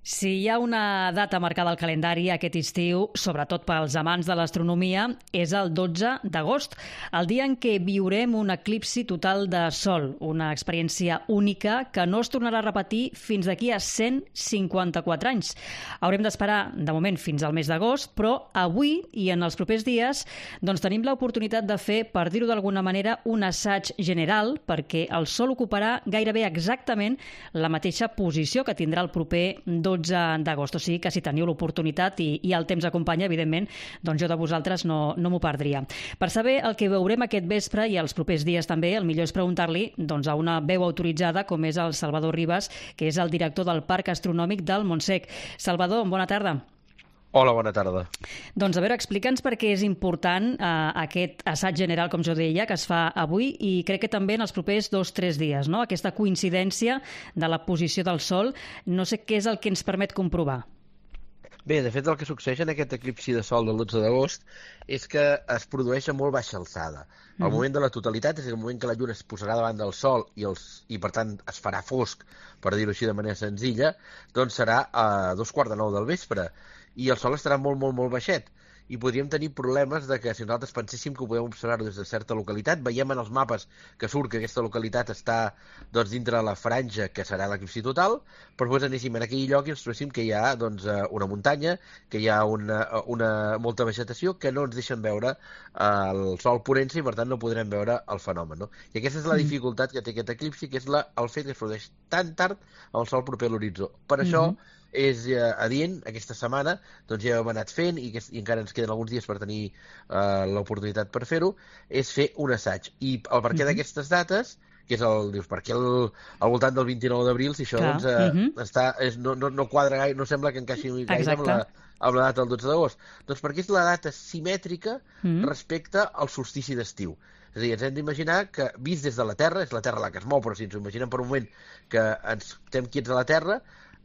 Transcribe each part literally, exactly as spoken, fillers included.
Si hi ha una data marcada al calendari aquest estiu, sobretot pels amants de l'astronomia, és el dotze d'agost, el dia en què viurem un eclipsi total de Sol, una experiència única que no es tornarà a repetir fins d'aquí a cent cinquanta-quatre anys. Haurem d'esperar, de moment, fins al mes d'agost, però avui i en els propers dies doncs tenim l'oportunitat de fer, per dir-ho d'alguna manera, un assaig general, perquè el Sol ocuparà gairebé exactament la mateixa posició que tindrà el proper dotze d'agost. O sigui que si teniu l'oportunitat i, i el temps acompanya, evidentment, doncs jo de vosaltres no, no m'ho perdria. Per saber el que veurem aquest vespre i els propers dies també, el millor és preguntar-li doncs, a una veu autoritzada com és el Salvador Ribas, que és el director del Parc Astronòmic del Montsec. Salvador, bona tarda. Hola, bona tarda. Doncs a veure, explica'ns per què és important eh, aquest assaig general, com jo deia, que es fa avui i crec que també en els propers dos o tres dies, no? Aquesta coincidència de la posició del Sol, no sé què és el que ens permet comprovar. Bé, de fet el que succeeix en aquest eclipsi de Sol del dotze d'agost és que es produeix a molt baixa alçada. El mm. moment de la totalitat, és a dir, el moment que la Lluna es posarà davant del Sol i, els, i per tant es farà fosc, per dir-ho així de manera senzilla, doncs serà a dos quarts de nou del vespre. I el Sol estarà molt, molt, molt baixet. I podríem tenir problemes de que si nosaltres penséssim que ho podem observar des de certa localitat, veiem en els mapes que surt que aquesta localitat està doncs, dintre la franja que serà l'eclipsi total, però després anéssim en aquell lloc i ens trobéssim que hi ha doncs, una muntanya, que hi ha una, una, molta vegetació que no ens deixen veure el Sol ponent-se i per tant no podrem veure el fenomen. No? I aquesta és la dificultat que té aquest eclipsi, que és la, el fet que es produeix tan tard el Sol proper a l'horitzó. Per això mm-hmm. és eh, adient, aquesta setmana, doncs ja hem anat fent, i, que, i encara ens queden alguns dies per tenir eh, l'oportunitat per fer-ho, és fer un assaig. I el perquè mm-hmm. d'aquestes dates, que és el, dius, per què el, al voltant del vint-i-nou d'abril, si això doncs, eh, mm-hmm. està, és, no, no, no quadra gaire, no sembla que encaixi gaire amb la, amb la data del dotze d'agost. Doncs perquè és la data simètrica mm-hmm. respecte al solstici d'estiu. És a dir, ens hem d'imaginar que, vist des de la Terra, és la Terra la que es mou, però si ens ho imaginem per un moment que ens estem quiets a la Terra,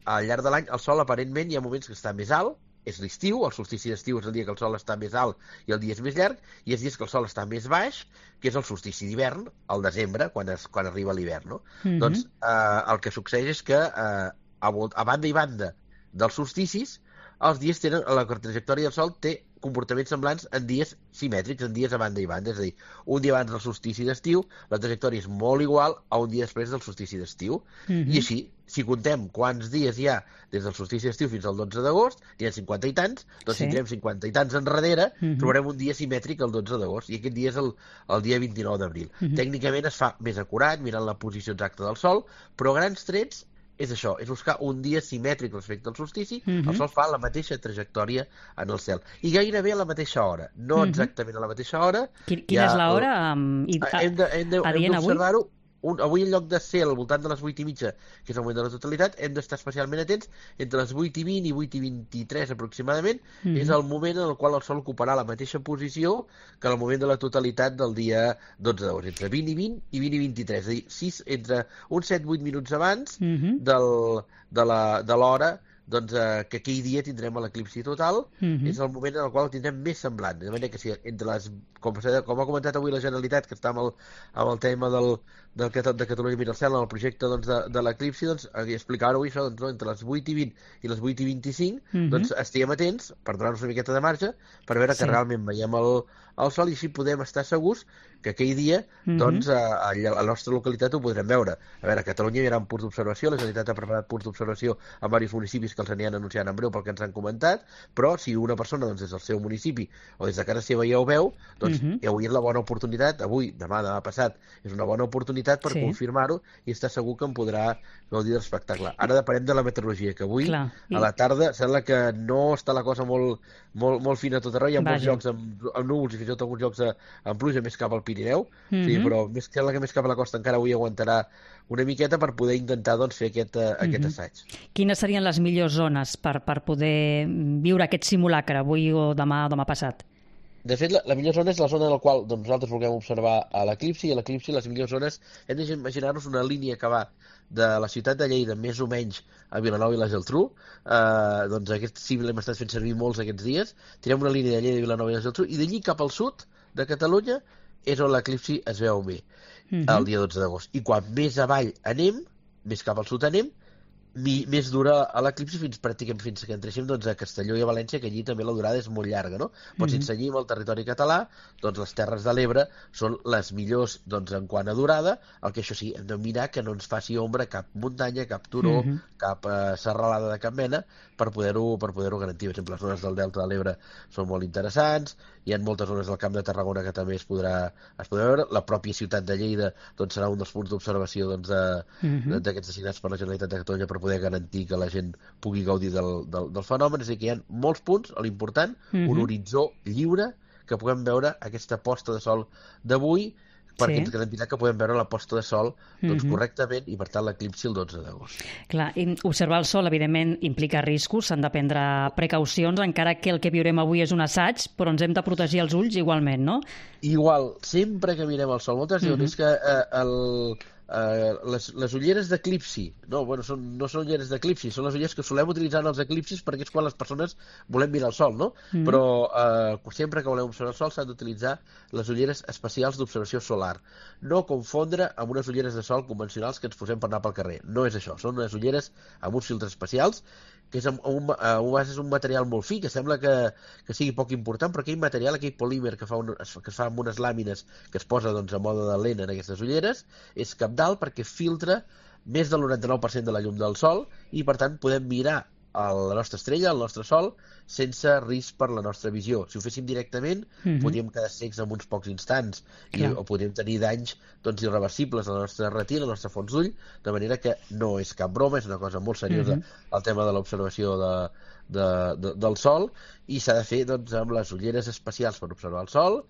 al llarg de l'any el Sol aparentment hi ha moments que està més alt, és l'estiu, el solstici d'estiu és el dia que el Sol està més alt i el dia és més llarg, i els dies que el Sol està més baix, que és el solstici d'hivern, al desembre, quan, es, quan arriba l'hivern. No? Mm-hmm. Doncs eh, el que succeeix és que eh, a, a banda i banda dels solsticis, els dies tenen, la trajectòria del Sol té comportaments semblants en dies simètrics, en dies a banda i banda. És a dir, un dia abans del solstici d'estiu, la trajectòria és molt igual a un dia després del solstici d'estiu. Mm-hmm. I així, si contem quants dies hi ha des del solstici d'estiu fins al dotze d'agost, n'hi ha cinquanta i tants, doncs sí. si tirem cinquanta i tants enrere, mm-hmm. trobarem un dia simètric el dotze d'agost, i aquest dia és el, el dia vint-i-nou d'abril. Mm-hmm. Tècnicament es fa més acurat, mirant la posició exacta del Sol, però a grans trets és això, és buscar un dia simètric respecte al solstici, mm-hmm. el Sol fa la mateixa trajectòria en el cel. I gairebé a la mateixa hora, no mm-hmm. exactament a la mateixa hora. Quina ja, és l'hora? Um, hem d'observar-ho. Un, avui en lloc de ser al voltant de les vuit i mitja, que és el moment de la totalitat, hem d'estar especialment atents entre les vuit i vint i vuit i vint-i-tres aproximadament, mm-hmm. és el moment en el qual el Sol ocuparà la mateixa posició que el moment de la totalitat del dia dotze d'agost, entre vint i vint i vint i vint-i-tres, és a dir, sis, entre uns set vuit minuts abans mm-hmm. del, de l'hora doncs, eh, que aquell dia tindrem l'eclipsi total, mm-hmm. és el moment en el qual el tindrem més semblant, de manera que si entre les, com, com ha comentat avui la Generalitat, que està amb el, amb el tema del, del, de Catalunya Mira el Cel, en el projecte doncs, de, de l'eclipsi, doncs, explicar-ho això, doncs, no, entre les vuit i vint i les vuit i vint-i-cinc, mm-hmm. doncs estiguem atents per donar-nos una miqueta de marge, per veure sí. que realment veiem el, el Sol, i així podem estar segurs que aquell dia, mm-hmm. doncs, a, a la nostra localitat ho podrem veure. A veure, a Catalunya hi haurà punts d'observació, la Generalitat ha preparat punts d'observació en diversos municipis que els aniran anunciant en breu pel que ens han comentat, però si una persona doncs, des del seu municipi o des de casa seva ja ho veu, doncs mm-hmm. avui és la bona oportunitat, avui, demà, demà passat, és una bona oportunitat per sí. confirmar-ho i estar segur que em podrà gaudir de l'espectacle. Ara depenem de la meteorologia, que avui, Clar. a la tarda, sembla que no està la cosa molt, molt, molt fina a tot arreu, hi ha molts llocs amb, amb núvols i fins i tot alguns llocs amb pluja més cap al Pirineu, mm-hmm. sí, però més, sembla que més cap a la costa encara avui aguantarà una miqueta per poder intentar doncs, fer aquest, uh, mm-hmm. aquest assaig. Quines serien les millors zones per, per poder viure aquest simulacre avui o demà o demà passat? De fet, la, la millor zona és la zona en la qual doncs, nosaltres vulguem observar a l'eclipsi, i a l'eclipsi les millors zones hem d'imaginar-nos una línia que va de la ciutat de Lleida més o menys a Vilanova i la Geltrú, eh, doncs aquest sí l'hem estat fent servir molts aquests dies, tirem una línia de Lleida, Vilanova i la Geltrú, i d'allí cap al sud de Catalunya és on l'eclipsi es veu bé, mm-hmm. el dia dotze d'agost. I quan més avall anem, més cap al sud anem, mi, més dura a l'eclipsi fins pràcticament fins que entréssim doncs, a Castelló i a València, que allí també la durada és molt llarga, no? Però si ens cenyim al territori català, doncs les Terres de l'Ebre són les millors doncs, en quant a durada, el que això sí, hem de mirar que no ens faci ombra cap muntanya, cap turó, uh -huh. cap eh, serralada de cap mena, per poder-ho per poder-ho garantir. Per exemple, les zones del Delta de l'Ebre són molt interessants, hi ha moltes zones del Camp de Tarragona que també es podrà, es podrà veure, la pròpia ciutat de Lleida doncs, serà un dels punts d'observació doncs, de, uh-huh. d'aquests designats per la Generalitat de Catalunya per poder garantir que la gent pugui gaudir del, del, del fenomen. És a dir, que hi ha molts punts, l'important, uh-huh. un horitzó lliure, que puguem veure aquesta posta de sol d'avui, perquè sí. ens garantirà que podem veure la posta de sol doncs, uh-huh. correctament i, per tant, l'eclipsi el dotze d'agost. Clar, i observar el sol, evidentment, implica riscos, s'han de prendre precaucions, encara que el que viurem avui és un assaig, però ens hem de protegir els ulls igualment, no? Igual, sempre que mirem el sol. Moltes diuen, uh-huh. és que eh, el... Uh, les, les ulleres d'eclipsi no, bueno, són, no són ulleres d'eclipsi, són les ulleres que solem utilitzar en els eclipsis perquè és quan les persones volem mirar el sol, no? Mm. Però uh, sempre que volem observar el sol s'han d'utilitzar les ulleres especials d'observació solar, no confondre amb unes ulleres de sol convencionals que ens posem per anar pel carrer, no és això, són unes ulleres amb uns filtres especials que és, un, un, un, és un material molt fi, que sembla que, que sigui poc important, però aquell material, aquell polímer que, fa un, que es fa amb unes làmines que es posa doncs, a mode de lent en aquestes ulleres, és cabdal perquè filtra més del noranta-nou per cent de la llum del sol i, per tant, podem mirar a la nostra estrella, al nostre sol, sense risc per la nostra visió. Si ho féssim directament, uh-huh. podríem quedar cecs en uns pocs instants i, o podríem tenir danys doncs, irreversibles a la nostra retina, a la nostra fons d'ull, de manera que no és cap broma, és una cosa molt seriosa uh-huh. el tema de l'observació de, de, de, del sol, i s'ha de fer doncs, amb les ulleres especials per observar el sol,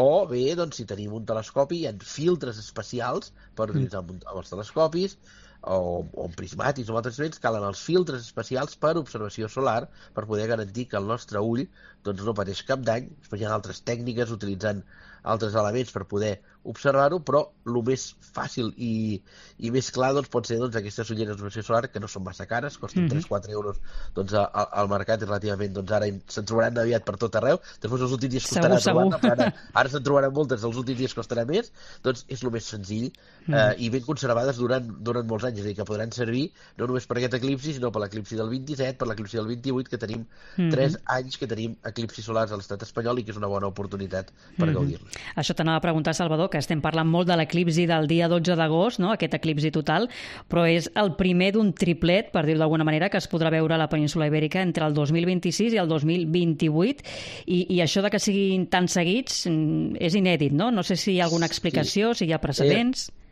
o bé, doncs, si tenim un telescopi, hi ha filtres especials per utilitzar amb, amb els telescopis, o, o amb prismàtics o amb altres instruments, calen els filtres especials per observació solar per poder garantir que el nostre ull doncs, no pateix cap dany. Després hi ha altres tècniques utilitzant altres elements per poder observar-ho, però el més fàcil i, i més clar doncs, pot ser doncs, aquestes ulleres d'observació solar, que no són massa cares, costen mm-hmm. tres a quatre euros doncs, a, a, al mercat, i relativament doncs, ara se'n trobaran aviat per tot arreu. Després els últims dies costarà trobar-ne, però ara, ara se'n trobaran moltes, els últims dies costarà més. Doncs és el més senzill mm-hmm. eh, i ben conservades durant, durant molts anys, és a dir, que podran servir no només per aquest eclipsi, sinó per l'eclipsi del vint-i-set, per l'eclipsi del vint-i-vuit, que tenim mm-hmm. tres anys que tenim eclipsis solars a l'estat espanyol i que és una bona oportunitat per mm-hmm. gaudir-los. Això t'anava a preguntar, Salvador, que estem parlant molt de l'eclipsi del dia dotze d'agost, no? Aquest eclipsi total, però és el primer d'un triplet, per dir-ho d'alguna manera, que es podrà veure a la península Ibèrica entre el dos mil vint-i-sis i el dos mil vint-i-vuit, i, i això de que siguin tan seguits és inèdit, no? No sé si hi ha alguna explicació, sí. si hi ha precedents... Eh...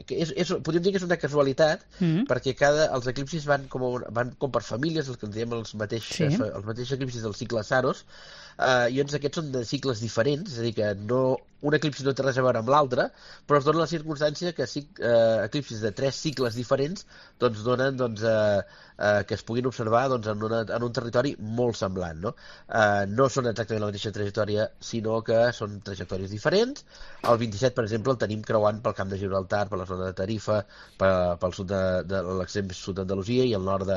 Que és, és, podríem dir que és una casualitat mm-hmm. perquè cada, els eclipsis van com, van com per famílies, els que en diem els mateixos, sí. els mateixos eclipsis del cicle Saros, uh, i doncs aquests són de cicles diferents, és a dir, que no, un eclipsi no té res a veure amb l'altre, però es dona la circumstància que uh, eclipsis de tres cicles diferents doncs donen doncs, uh, uh, que es puguin observar doncs, en, una, en un territori molt semblant. No? Uh, no són exactament la mateixa trajectòria, sinó que són trajectòries diferents. El vint-i-set, per exemple, el tenim creuant pel Camp de Gibraltar, per la zona de Tarifa, pel, pel sud de, de l'extrem sud d'Andalusia i el nord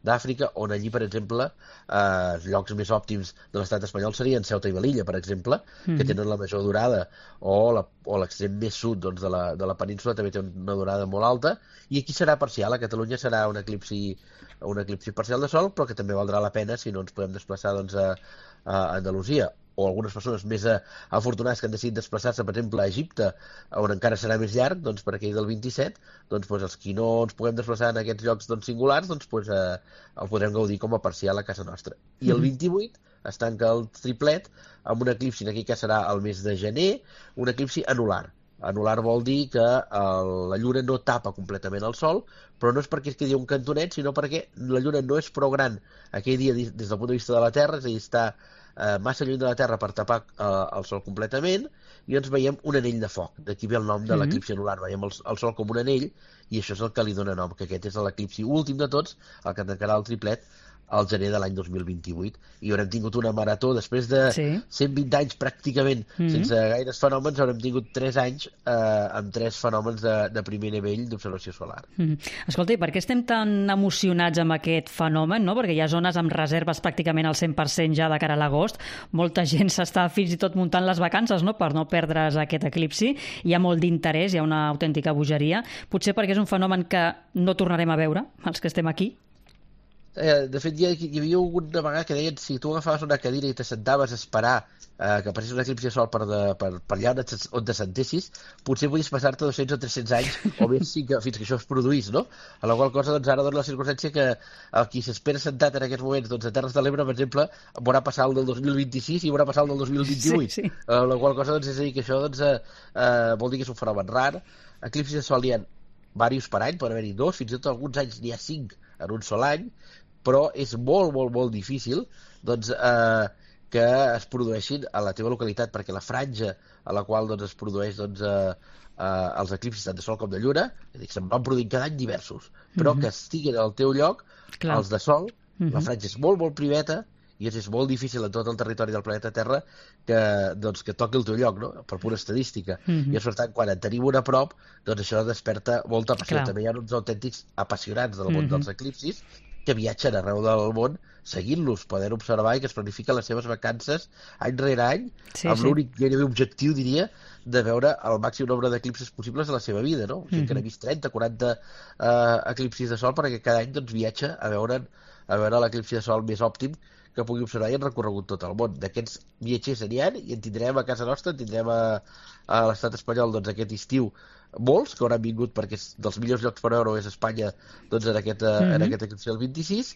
d'Àfrica, on allí, per exemple, eh, llocs més òptims de l'estat espanyol serien Ceuta i Melilla, per exemple, mm. que tenen la major durada, o l'extrem més sud doncs, de, la, de la península també té una durada molt alta, i aquí serà parcial. A Catalunya serà un eclipsi, un eclipsi parcial de sol, però que també valdrà la pena si no ens podem desplaçar doncs, a, a Andalusia, o algunes persones més afortunades que han decidit desplaçar-se, per exemple, a Egipte, on encara serà més llarg, doncs, per aquell del vint-i-set, doncs, doncs els qui no ens puguem desplaçar en aquests llocs doncs, singulars, doncs, doncs eh, el podrem gaudir com a parcial a casa nostra. I el vint-i-vuit es tanca el triplet amb un eclipsi, en aquell cas serà el mes de gener, un eclipsi anular. Anular vol dir que el, la lluna no tapa completament el sol, però no és perquè es quedi un cantonet, sinó perquè la lluna no és prou gran aquell dia des del punt de vista de la Terra, és a dir, està eh, massa lluny de la Terra per tapar eh, el sol completament, i ens veiem un anell de foc. D'aquí ve el nom de mm-hmm. l'eclipsi anular, veiem el, el sol com un anell, i això és el que li dona nom, que aquest és l'eclipsi últim de tots, el que tancarà el triplet al gener de l'any dos mil vint-i-vuit, i haurem tingut una marató després de sí. cent vint anys pràcticament mm-hmm. sense gaires fenòmens. Haurem tingut tres anys eh, amb tres fenòmens de, de primer nivell d'observació solar. Mm-hmm. Escolta, i per què estem tan emocionats amb aquest fenomen? No? Perquè hi ha zones amb reserves pràcticament al cent per cent ja de cara a l'agost. Molta gent s'està fins i tot muntant les vacances, no? Per no perdre's aquest eclipsi. Hi ha molt d'interès, hi ha una autèntica bogeria. Potser perquè és un fenomen que no tornarem a veure, els que estem aquí. Eh, de fet, hi, hi havia una vegada que deien si tu agafaves una cadira i t'assentaves a esperar eh, que apareixés un eclipsi de sol per, de, per, per allà on, et, on t'assentessis, potser podies passar-te dos-cents o tres-cents anys o més fins que, fins que això es produís, no? A la qual cosa, doncs, ara dona la circumstància que el qui s'espera sentat en aquests moments, doncs, a Terres de l'Ebre, per exemple, veurà passar el del dos mil vint-i-sis i veurà passar el del dos mil vint-i-vuit. Sí, sí. A la qual cosa, doncs, és a dir, que això, doncs, eh, eh, vol dir que és un fenomen rar. Eclipsis de sol hi ha diversos per any, poden haver-hi dos, fins i tot alguns anys n'hi ha cinc en un sol any, però és molt, molt, molt difícil doncs, eh, que es produeixin a la teva localitat, perquè la franja a la qual doncs, es produeix doncs, eh, eh, els eclipsis tant de sol com de lluna, és dir, se'n van produint cada any diversos, però mm -hmm. que estiguin al teu lloc, clar, els de sol, mm -hmm. la franja és molt, molt priveta, i és molt difícil en tot el territori del planeta Terra que, doncs, que toqui el teu lloc, no? Per pura estadística. Mm -hmm. I, per tant, quan en tenim un a prop, doncs això desperta molta passió. Clar. També hi ha uns autèntics apassionats del món mm -hmm. dels eclipsis que viatgen arreu del món seguint-los, poden observar i que es planifiquen les seves vacances any rere any, sí, amb sí. l'únic gairebé objectiu, diria, de veure el màxim nombre d'eclipsis possibles a la seva vida, no? O sigui, mm -hmm. que n'ha vist trenta, quaranta eh, eclipsis de sol perquè cada any doncs, viatja a veure, a veure l'eclipsi de sol més òptim que pugui observar i han recorregut tot el món. D'aquests viatgers n'hi ha i en tindrem a casa nostra, en tindrem a, a l'estat espanyol doncs, aquest estiu molts que hauran vingut perquè és dels millors llocs per veure és Espanya doncs, en, aquest, mm -hmm. en aquest eclipsi del vint-i-sis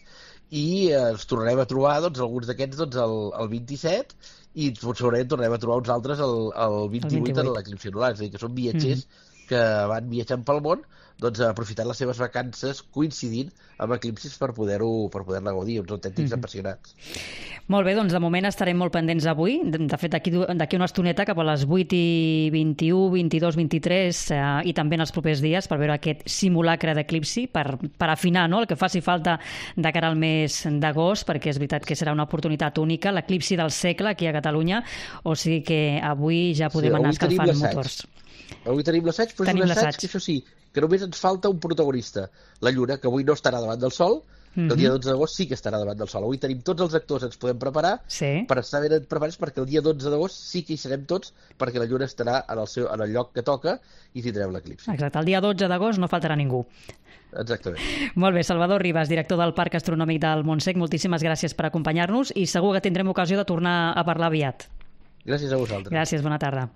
i eh, ens tornarem a trobar doncs, alguns d'aquests doncs, el, el vint-i-set i segurament tornarem a trobar uns altres el, el vint-i-vuit en l'eclipsi anular, és a dir, que són viatgers mm -hmm. que van viatjant pel món doncs, aprofitant les seves vacances coincidint amb eclipsis per poder-ho per poder-la gaudir, uns autèntics mm -hmm. apassionats. Molt bé, doncs de moment estarem molt pendents avui. De, de fet, d'aquí una estoneta, cap a les vuit i vint-i-u, vint-i-dos, vint-i-tres eh, i també en els propers dies per veure aquest simulacre d'eclipsi, per, per afinar, no?, el que faci falta de cara al mes d'agost, perquè és veritat que serà una oportunitat única, l'eclipsi del segle aquí a Catalunya, o sigui que avui ja podem sí, anar escalfant motors. Avui tenim l'assaig, però tenim és un assaig que això sí, que només ens falta un protagonista, la Lluna, que avui no estarà davant del Sol, que el dia dotze d'agost sí que estarà davant del Sol. Avui tenim tots els actors, ens podem preparar sí. per estar ben preparats perquè el dia dotze d'agost sí que hi serem tots, perquè la Lluna estarà en el, seu, en el lloc que toca i tindrem l'eclipsi. Exacte, el dia dotze d'agost no faltarà ningú. Exactament. Molt bé, Salvador Ribas, director del Parc Astronòmic del Montsec, moltíssimes gràcies per acompanyar-nos i segur que tindrem ocasió de tornar a parlar aviat. Gràcies a vosaltres. Gràcies, bona tarda.